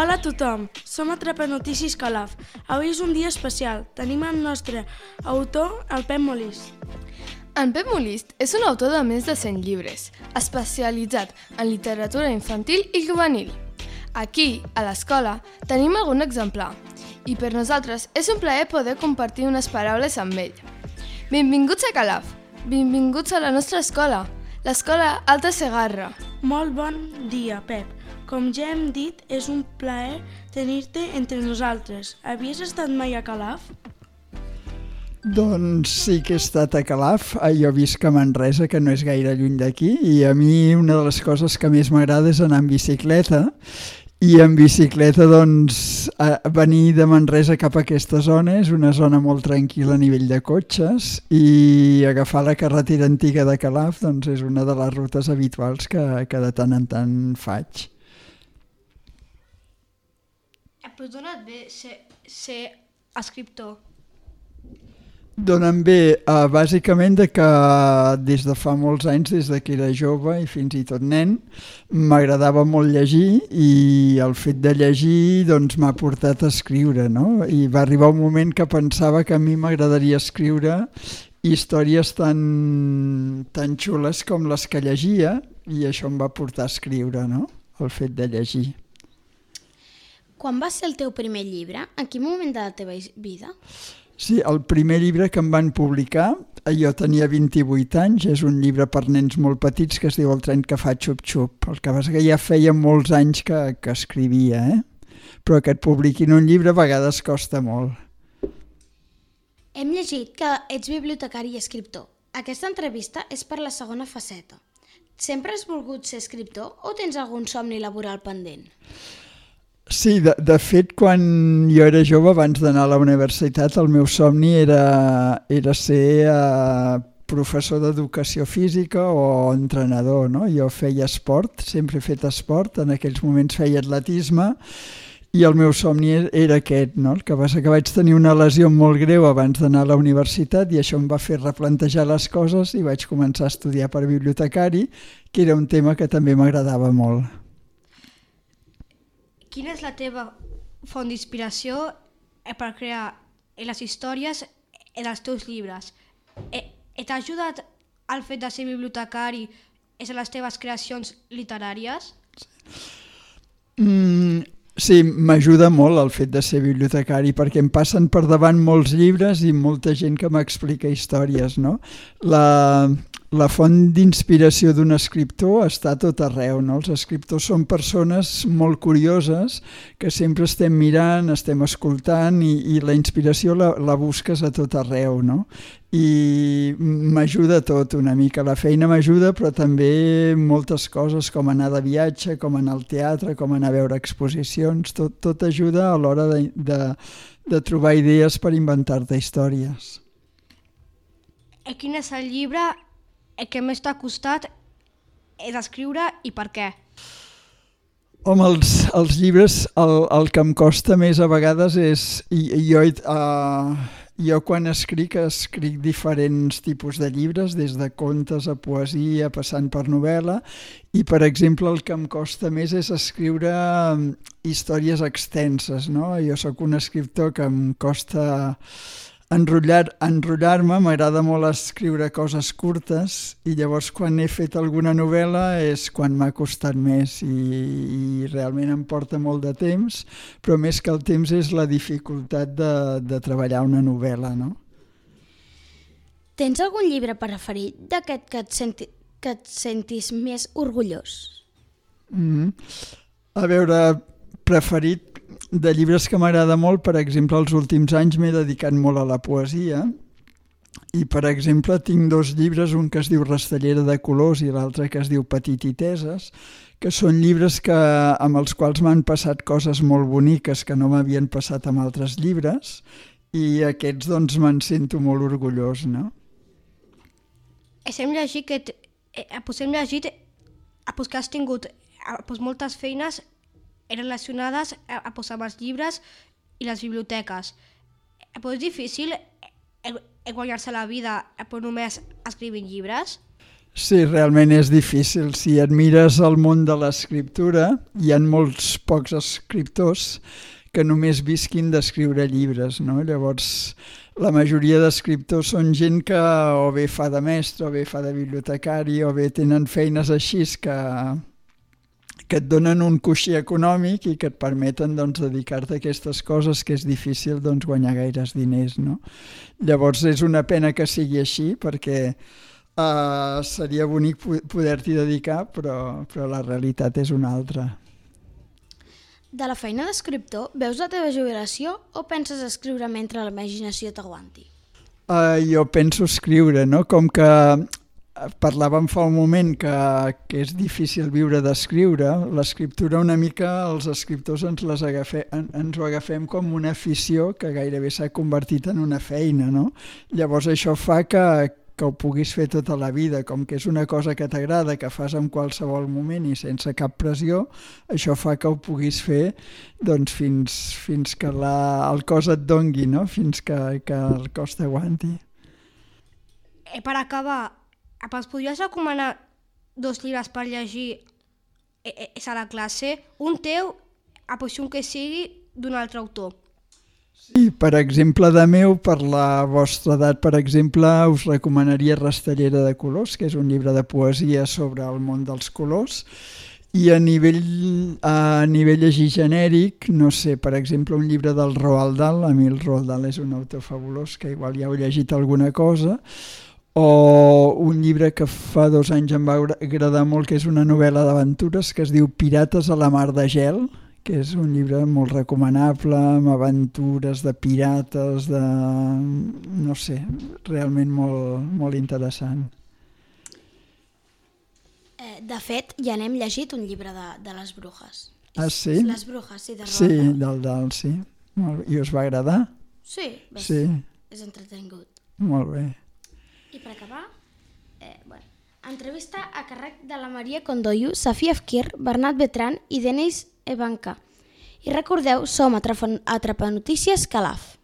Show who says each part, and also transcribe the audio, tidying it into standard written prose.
Speaker 1: Hola a tothom, som Atrapanotícies Calaf. Avui és un dia especial. Tenim el nostre autor, el Pep Molist.
Speaker 2: En Pep Molist és un autor de més de 100 llibres, especialitzat en literatura infantil i juvenil. Aquí, a l'escola, tenim algun exemplar i per nosaltres és un plaer poder compartir unes paraules amb ell. Benvinguts a Calaf, benvinguts a la nostra escola, l'escola Alta Segarra.
Speaker 1: Molt bon dia, Pep. Com ja hem dit, és un plaer tenir-te entre nosaltres. Havies estat mai a Calaf?
Speaker 3: Doncs sí que he estat a Calaf. Jo visc a Manresa, que no és gaire lluny d'aquí, i a mi una de les coses que més m'agrada és anar en bicicleta. I en bicicleta, doncs, venir de Manresa cap a aquesta zona és una zona molt tranquil·la a nivell de cotxes, i agafar la carretera antiga de Calaf doncs, és una de les rutes habituals que de tant en tant faig.
Speaker 4: Però d'on et ve ser escriptor?
Speaker 3: Donen bé, bàsicament que des de fa molts anys, des que era jove i fins i tot nen, m'agradava molt llegir, i el fet de llegir doncs, m'ha portat a escriure, no? I va arribar un moment que pensava que a mi m'agradaria escriure històries tan xules com les que llegia, i això em va portar a escriure, no? El fet de llegir.
Speaker 4: Quan va ser el teu primer llibre? En quin moment de la teva vida?
Speaker 3: Sí, el primer llibre que em van publicar, jo tenia 28 anys, és un llibre per nens molt petits que es diu El tren que fa xup-xup. El que passa que ja feia molts anys que escrivia, però que et publiquin un llibre a vegades costa molt.
Speaker 4: Hem llegit que ets bibliotecari i escriptor. Aquesta entrevista és per la segona faceta. Sempre has volgut ser escriptor o tens algun somni laboral pendent?
Speaker 3: Sí, de fet, quan jo era jove, abans d'anar a la universitat, el meu somni era ser professor d'educació física o entrenador, no? Jo feia esport, sempre he fet esport, en aquells moments feia atletisme, i el meu somni era aquest, no? El que passa que vaig tenir una lesió molt greu abans d'anar a la universitat, i això em va fer replantejar les coses i vaig començar a estudiar per bibliotecari, que era un tema que també m'agradava molt.
Speaker 5: Quina és la teva font d'inspiració per crear les històries dels teus llibres? T'ha ajudat el fet de ser bibliotecari en les teves creacions literàries?
Speaker 3: Sí, m'ajuda molt el fet de ser bibliotecari, perquè em passen per davant molts llibres i molta gent que m'explica històries, no? La font d'inspiració d'un escriptor està a tot arreu, no? Els escriptors són persones molt curioses que sempre estem mirant, estem escoltant, i la inspiració la busques a tot arreu, no? I m'ajuda tot una mica. La feina m'ajuda, però també moltes coses, com anar de viatge, com anar al teatre, com anar a veure exposicions, tot ajuda a l'hora de trobar idees per inventar-te històries.
Speaker 5: Quin és el llibre que més t'ha costat d'escriure i per què?
Speaker 3: Home, els llibres, el que em costa més a vegades és... Jo quan escric diferents tipus de llibres, des de contes a poesia, passant per novel·la, i per exemple el que em costa més és escriure històries extenses, no? Jo sóc un escriptor que em costa enrotllar-me, m'agrada molt escriure coses curtes, i llavors quan he fet alguna novel·la és quan m'ha costat més, i realment em porta molt de temps, però més que el temps és la dificultat de treballar una novel·la, no?
Speaker 4: Tens algun llibre preferit d'aquest que et sentis més orgullós?
Speaker 3: A veure, preferit de llibres que m'agrada molt, per exemple, els últims anys m'he dedicat molt a la poesia, i per exemple tinc 2 llibres, un que es diu Rastellera de colors i l'altre que es diu Petititeses, que són llibres amb els quals m'han passat coses molt boniques que no m'havien passat amb altres llibres, i aquests doncs me'n sento molt orgullós, no?
Speaker 5: Hem llegit que has tingut moltes feines relacionades amb els llibres i les biblioteques. És difícil guanyar-se la vida només escrivint llibres?
Speaker 3: Sí, realment és difícil. Si admires el món de l'escriptura, hi ha molts pocs escriptors que només visquin d'escriure llibres, no? Llavors, la majoria d'escriptors són gent que o bé fa de mestre, o bé fa de bibliotecari, o bé tenen feines així que et donen un coixí econòmic i que et permeten dedicar-te a aquestes coses que és difícil guanyar gaires diners, no? Llavors és una pena que sigui així perquè seria bonic poder-t'hi dedicar, però la realitat és una altra.
Speaker 4: De la feina d'escriptor, veus la teva jubilació o penses escriure mentre la imaginació t'aguanti?
Speaker 3: Jo penso escriure, no? Com que parlàvem fa un moment que és difícil viure d'escriure, l'escriptura una mica els escriptors ens ho agafem com una afició que gairebé s'ha convertit en una feina, no? Llavors això fa que ho puguis fer tota la vida, com que és una cosa que t'agrada, que fas en qualsevol moment i sense cap pressió, això fa que ho puguis fer fins que el cos et dongui, no? Fins que el cos t'aguanti.
Speaker 5: Per acabar, ens podries recomanar 2 llibres per llegir a la classe? Un teu, un que sigui d'un altre autor.
Speaker 3: Sí, per exemple, de meu, per la vostra edat, per exemple, us recomanaria Rastellera de colors, que és un llibre de poesia sobre el món dels colors, i a nivell llegir genèric, no sé, per exemple, un llibre del Roald Dahl, a mi el Roald Dahl és un autor fabulós, que igual ja heu llegit alguna cosa, o un llibre que fa 2 anys em va agradar molt, que és una novel·la d'aventures que es diu Pirates a la mar de gel, que és un llibre molt recomanable, amb aventures de pirates, no sé, realment molt, molt interessant.
Speaker 4: De fet, ja n'hem llegit un llibre de les brujes.
Speaker 3: Ah, sí?
Speaker 4: Les brujes, sí, de Roald
Speaker 3: Sí,
Speaker 4: Dahl.
Speaker 3: del Dahl, sí. I us va agradar?
Speaker 4: Sí,
Speaker 3: Sí.
Speaker 4: És entretingut.
Speaker 3: Molt bé.
Speaker 4: I per acabar, entrevista a càrrec de la Maria Condoyu, Safia Efkir, Bernat Betran i Denis Evanca. I recordeu, som a Atrapanotícies Calaf.